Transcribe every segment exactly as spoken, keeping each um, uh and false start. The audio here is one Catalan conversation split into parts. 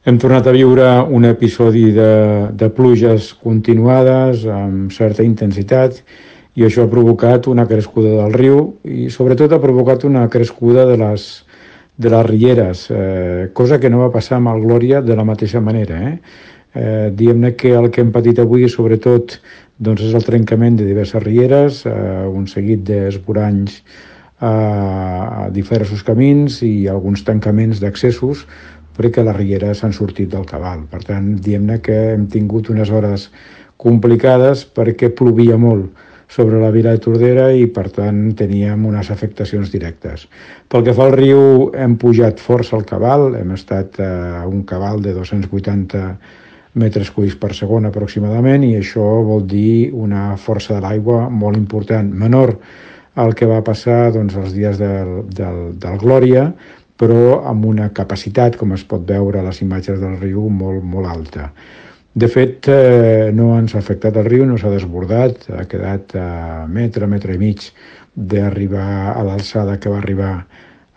Hem tornat a viure un episodi de, de pluges continuades amb certa intensitat i això ha provocat una crescuda del riu i sobretot ha provocat una crescuda de les, de les rieres, eh, cosa que no va passar amb el Glòria de la mateixa manera. Eh? Eh, diguem-ne que el que hem patit avui sobretot doncs, és el trencament de diverses rieres, eh, un seguit d'esvoranys a diversos camins i alguns tancaments d'accessos perquè les rieres s'han sortit del cabal. Per tant, diguem-ne que hem tingut unes hores complicades perquè plovia molt sobre la vila de Tordera i, per tant, teníem unes afectacions directes. Pel que fa al riu, hem pujat força al cabal, hem estat a un cabal de dos-cents vuitanta metres cúbics per segon aproximadament i això vol dir una força de l'aigua molt important, menor al que va passar doncs, els dies del, del, del Glòria, però amb una capacitat, com es pot veure a les imatges del riu, molt, molt alta. De fet, eh, no ens ha afectat el riu, no s'ha desbordat, ha quedat a metre, metre i mig d'arribar a l'alçada que va arribar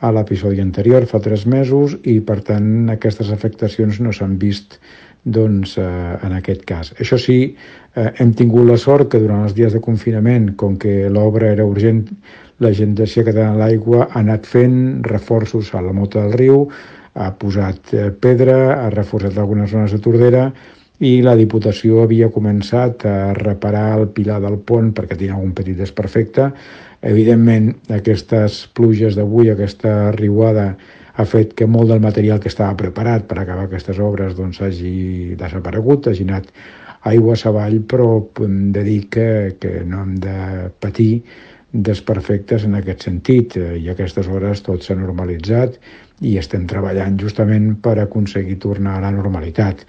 a l'episodi anterior, fa tres mesos, i per tant aquestes afectacions no s'han vist doncs, eh, en aquest cas. Això sí, eh, hem tingut la sort que durant els dies de confinament, com que l'obra era urgent, l'Agència Catalana de l'Aigua ha anat fent reforços a la mota del riu, ha posat eh, pedra, ha reforçat algunes zones de Tordera i la Diputació havia començat a reparar el pilar del pont perquè tenia algun petit desperfecte. Evidentment, aquestes pluges d'avui, aquesta riuada, ha fet que molt del material que estava preparat per acabar aquestes obres doncs, hagi desaparegut, hagi anat aigües avall, però hem de dir que, que no hem de patir desperfectes en aquest sentit i a aquestes hores tot s'ha normalitzat i estem treballant justament per aconseguir tornar a la normalitat.